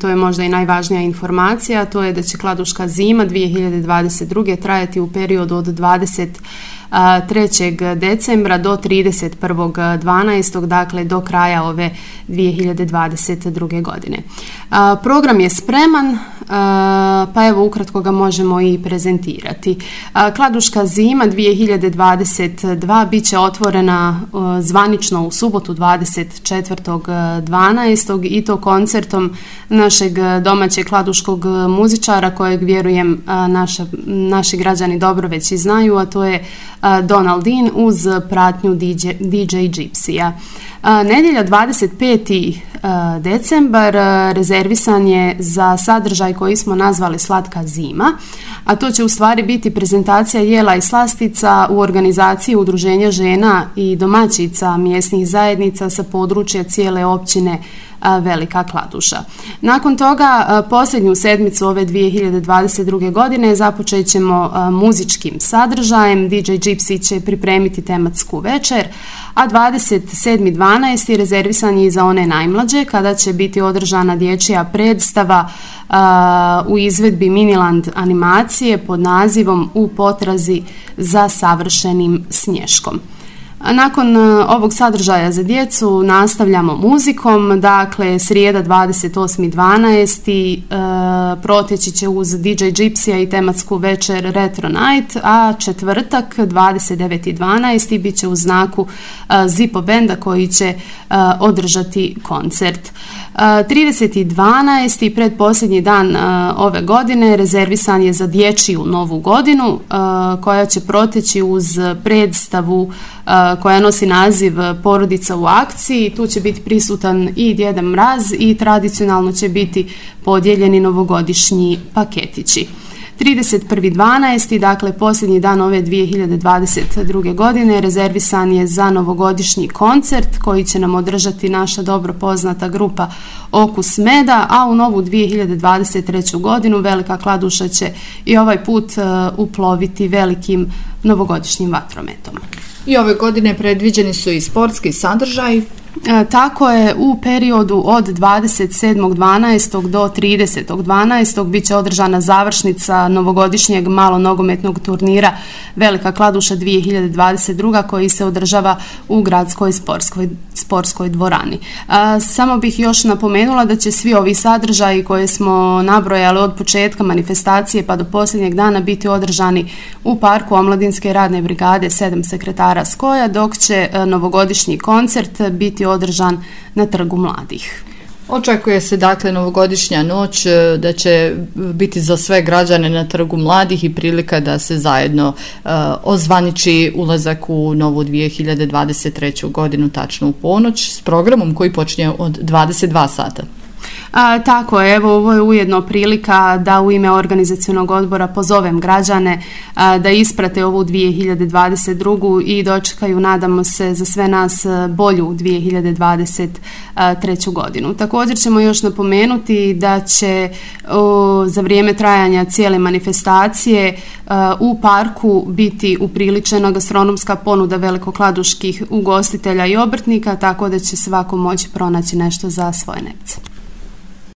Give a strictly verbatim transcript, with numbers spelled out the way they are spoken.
to je možda i najvažnija informacija, to je da će Kladuška zima dvije hiljade dvadeset druge trajati u periodu od dvadeset trećeg decembra do trideset prvog dvanaestog, dakle do kraja ove dvije hiljade dvadeset druge godine. Program je spreman, pa evo ukratko ga možemo i prezentirati. Kladuška zima dvije hiljade dvadeset dva bit će otvorena zvanično u subotu dvadeset četvrtog dvanaestog i to koncertom našeg domaćeg kladuškog muzičara kojeg vjerujem naša, naši građani dobro već i znaju, a to je Donald Dean uz pratnju D J, D J Gypsya. Nedjelja dvadeset peti decembar rezervisan je za sadržaj koji smo nazvali Slatka zima, a to će u stvari biti prezentacija jela i slastica u organizaciji Udruženja žena i domaćica mjesnih zajednica sa područja cijele općine Velika Kladuša. Nakon toga, posljednju sedmicu ove dvije hiljade dvadeset druge godine započet ćemo muzičkim sadržajem. D J Gypsy će pripremiti tematsku večer, a dvadeset sedmi dvanaesti rezervisan je za one najmlađe kada će biti održana dječja predstava u izvedbi Miniland animacije pod nazivom U potrazi za savršenim snješkom. Nakon ovog sadržaja za djecu nastavljamo muzikom, dakle srijeda dvadeset osmi dvanaesti e, proteći će uz D J Gypsya i tematsku večer Retro Night, a četvrtak dvadeset deveti dvanaesti bit će u znaku e, Zippo Benda koji će e, održati koncert. E, trideseti dvanaesti predposljednji dan e, ove godine rezervisan je za dječju novu godinu e, koja će proteći uz predstavu koja nosi naziv Porodica u akciji. Tu će biti prisutan i Djeda Mraz i tradicionalno će biti podijeljeni novogodišnji paketići. trideset prvi dvanaesti, dakle posljednji dan ove dvije hiljade dvadeset druge godine, rezervisan je za novogodišnji koncert koji će nam održati naša dobro poznata grupa Okus meda, a u novu dvije hiljade dvadeset treću godinu Velika Kladuša će i ovaj put uh, uploviti velikim novogodišnjim vatrometom. I ove godine predviđeni su i sportski sadržaj. E, tako je, u periodu od dvadeset sedmog dvanaestog do tridesetog dvanaestog bit će održana završnica novogodišnjeg malonogometnog turnira Velika Kladuša dvije hiljade dvadeset druga koji se održava u gradskoj sportskoj, sportskoj dvorani. E, samo bih još napomenula da će svi ovi sadržaji koje smo nabrojali od početka manifestacije pa do posljednjeg dana biti održani u parku Omladinske radne brigade sedam sekretara Skoja, dok će e, novogodišnji koncert biti održan na Trgu mladih. Očekuje se dakle novogodišnja noć da će biti za sve građane na Trgu mladih i prilika da se zajedno uh, ozvaniči ulazak u novu dvije hiljade dvadeset treću godinu tačno u ponoć s programom koji počinje od dvadeset dva sata. A, tako je, evo ovo je ujedno prilika da u ime organizacionog odbora pozovem građane a, da isprate ovu dvije hiljade dvadeset drugu i dočekaju, nadamo se, za sve nas bolju dvije hiljade dvadeset treću godinu. Također ćemo još napomenuti da će o, za vrijeme trajanja cijele manifestacije a, u parku biti upriličena gastronomska ponuda velikokladuških ugostitelja i obrtnika, tako da će svako moći pronaći nešto za svoje nepce.